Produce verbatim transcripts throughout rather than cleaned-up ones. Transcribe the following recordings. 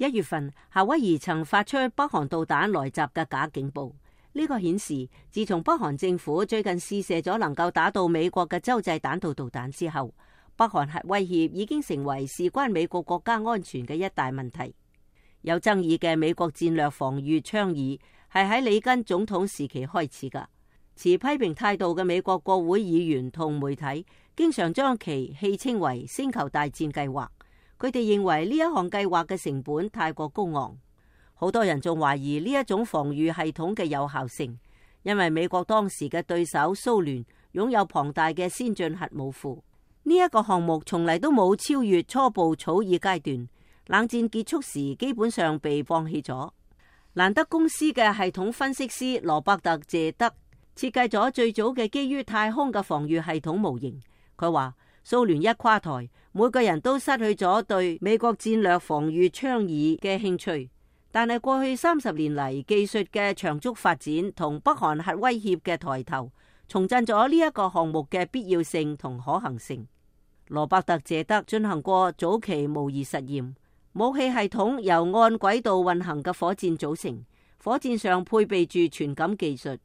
一月份，夏威夷曾發出北韓導彈來襲嘅假警報。呢個顯示，自從北韓政府最近試射咗能夠打到美國嘅洲際彈道導彈之後，北韓核威脅已經成為事關美國國家安全嘅一大問題。有爭議嘅美國戰略防禦倡議係喺里根總統時期開始㗎。持批評態度嘅美國國會議員同媒體經常將其戲稱為星球大戰計劃。佢哋認為呢一項計劃嘅成本太過高昂，好多人仲懷疑呢一種防禦系統嘅有效性，因為美國當時嘅對手蘇聯擁有龐大嘅先進核武庫。呢一個項目從嚟都冇超越初步草擬階段，冷戰結束時基本上被放棄咗。蘭德公司嘅系統分析師羅伯特謝德設計咗最早嘅基於太空嘅防禦系統模型。佢話蘇聯一垮台，每個人都失去咗對美國戰略防禦倡議嘅興趣。但係過去三十年嚟，技術嘅長足發展同北韓核威脅嘅抬頭，重振咗呢一個項目嘅必要性同可行性。羅伯特謝德進行過早期模擬實驗，武器系統由按軌道運行嘅火箭組成，火箭上配備住傳感技術，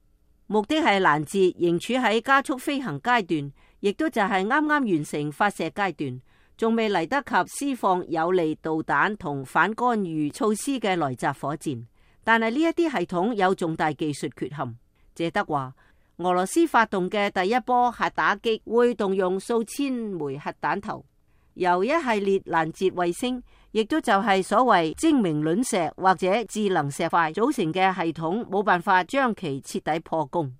目的係攔截仍處喺加速飛行階段，亦都就係啱啱完成發射階段，仲未嚟得及施放有利導彈同反干預措施嘅來襲火箭。但係呢一啲系統有重大技術缺陷。謝德話，俄羅斯發動嘅第一波核打擊會動用數千枚核彈頭，由一系列攔截衛星，亦都就係所謂精明卵石或者智能石塊組成嘅系統，冇辦法將其徹底破功。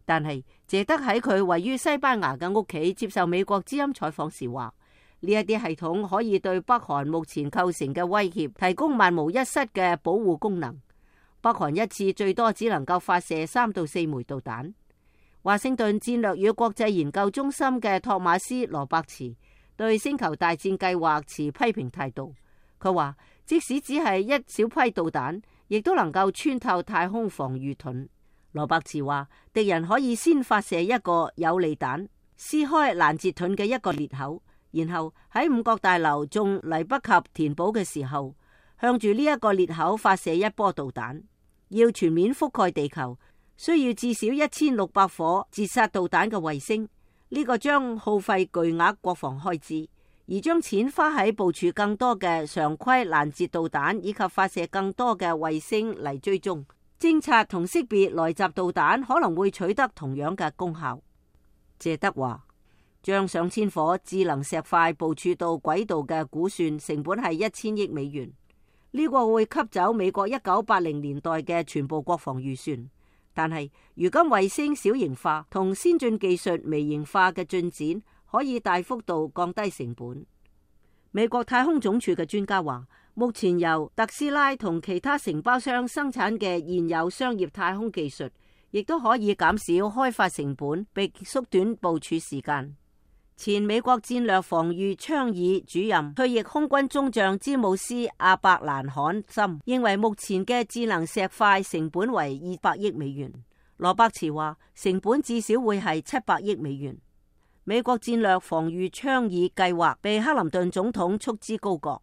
但係謝德喺佢位於西班牙嘅屋企接受美國之音採訪時話，呢一啲系統可以對北韓目前構成嘅威脅提供萬無一失嘅保護功能。北韓一次最多只能夠發射三到四枚導彈。華盛頓戰略與國際研究中心嘅托馬斯羅伯茨對星球大戰計劃持批評態度。佢話，即使只係一小批導彈，亦都能夠穿透太空防禦盾。羅伯茨話，敵人可以先發射一個有利彈，撕開攔截盾嘅一個裂口，然後喺五角大樓仲嚟不及填補嘅時候，向住呢一個裂口發射一波導彈。要全面覆蓋地球，需要至少一千六百顆截殺導彈嘅衛星。呢個將耗費巨額國防開支，而將錢花喺部署更多嘅常規攔截導彈以及發射更多嘅衛星嚟追蹤、偵察同識別來襲導彈，可能會取得同樣嘅功效。謝德話，將上千顆智能石塊部署到軌道嘅估算成本係一千億美元。呢個會吸走美國一九八零年代嘅全部國防預算。但係如今衛星小型化同先進技術微型化嘅進展，可以大幅度降低成本。美國太空總署嘅專家話，目前由特斯拉同其他承包商生產嘅現有商業太空技術，亦都可以減少開發成本，並縮短部署時間。前美國戰略防禦倡議主任、退役空軍中將詹姆斯阿伯蘭罕森認為，目前嘅智能石塊成本為二百億美元。羅伯茨話，成本至少會係七百億美元。美國戰略防禦倡議計劃被克林頓總統束之高閣。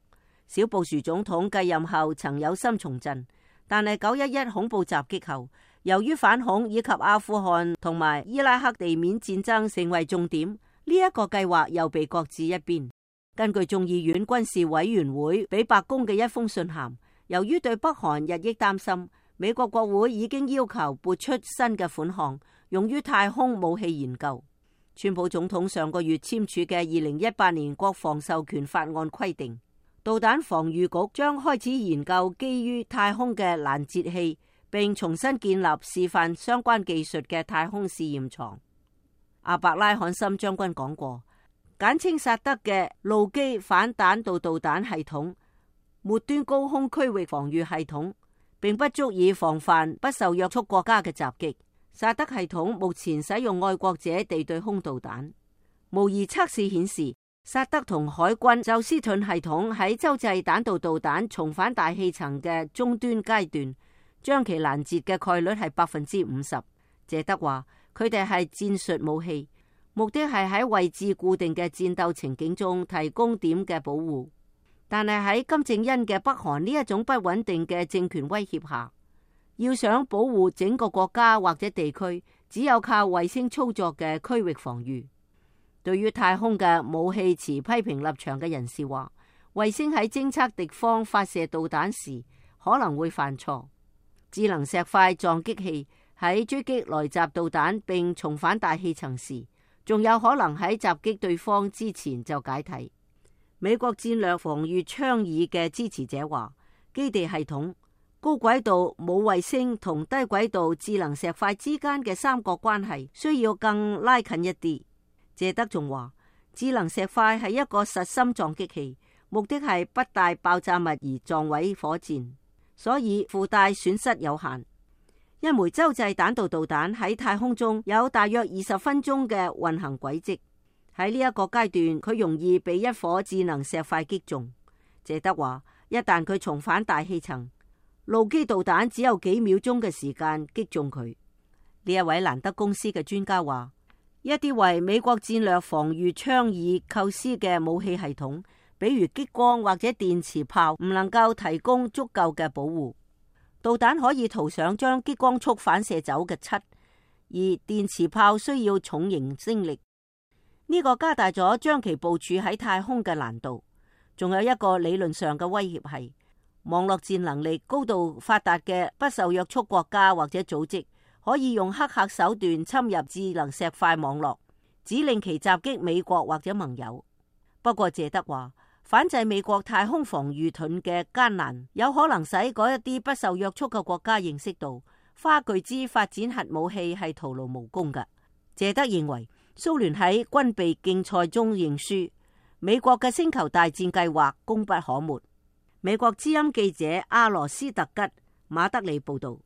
小布殊總統繼任後曾有心重振，但係九一一恐怖襲擊後，由於反恐以及阿富汗同埋伊拉克地面戰爭成為重點，呢一個計劃又被擱置一邊。根據眾議院軍事委員會俾白宮嘅一封信函，由於對北韓日益擔心，美國國會已經要求撥出新嘅款項，用於太空武器研究。川普總統上個月簽署嘅二零一八年國防授權法案規定，導彈防禦局將開始研究基於太空嘅攔截器，並重新建立示範相關技術嘅太空試驗場。阿伯拉罕森將軍講過，簡稱薩德嘅陸基反彈道導彈系統末端高空區域防禦系統並不足以防範不受約束國家嘅襲擊。薩德系統目前使用愛國者地對空導彈。模擬測試顯示，薩德同海軍宙斯盾系統喺洲際彈道導彈重返大氣層嘅終端階段，將其攔截嘅概率係百分之五十。謝德話，佢哋係戰術武器，目的係喺位置固定嘅戰鬥情景中提供點嘅保護。但係喺金正恩嘅北韓呢一種不穩定嘅政權威脅下，要想保護整個國家或者地區，只有靠衛星操作嘅區域防禦。對於太空嘅武器持批評立場嘅人士話，衛星喺偵測敵方發射導彈時可能會犯錯。智能石塊撞擊器喺追擊來襲導彈並重返大氣層時，仲有可能喺襲擊對方之前就解體。美國戰略防禦倡議嘅支持者話，基地系統、高軌道冇衛星同低軌道智能石塊之間嘅三角關係需要更拉近一啲。謝德仲話，智能石塊係一個實心撞擊器，目的係不帶爆炸物而撞毀火箭，所以附帶損失有限。一枚洲際彈道導彈喺太空中有大約二十分鐘嘅運行軌跡。喺呢一個階段，佢容易被一顆智能石塊擊中。謝德話，一旦佢重返大氣層，陸基導彈只有幾秒鐘嘅時間擊中佢。呢一位蘭德公司嘅專家話，一啲為美國戰略防禦倡議構思嘅武器系統，比如激光或者電磁炮，唔能夠提供足夠嘅保護。導彈可以塗上將激光束反射走嘅漆，而電磁炮需要重型升力。呢個加大咗將其部署喺太空嘅難度。仲有一個理論上嘅威脅係，網絡戰能力高度發達嘅不受約束國家或者組織，可以用黑客手段侵入智能石塊網絡，指令其襲擊美國或者盟友。不過謝德話，反制美國太空防禦盾嘅艱難，有可能使嗰一啲不受約束嘅國家認識到，花巨資發展核武器係徒勞無功㗎。謝德認為，蘇聯喺軍備競賽中認輸，美國嘅星球大戰計劃功不可沒。美國之音記者阿羅斯特吉馬德里報道。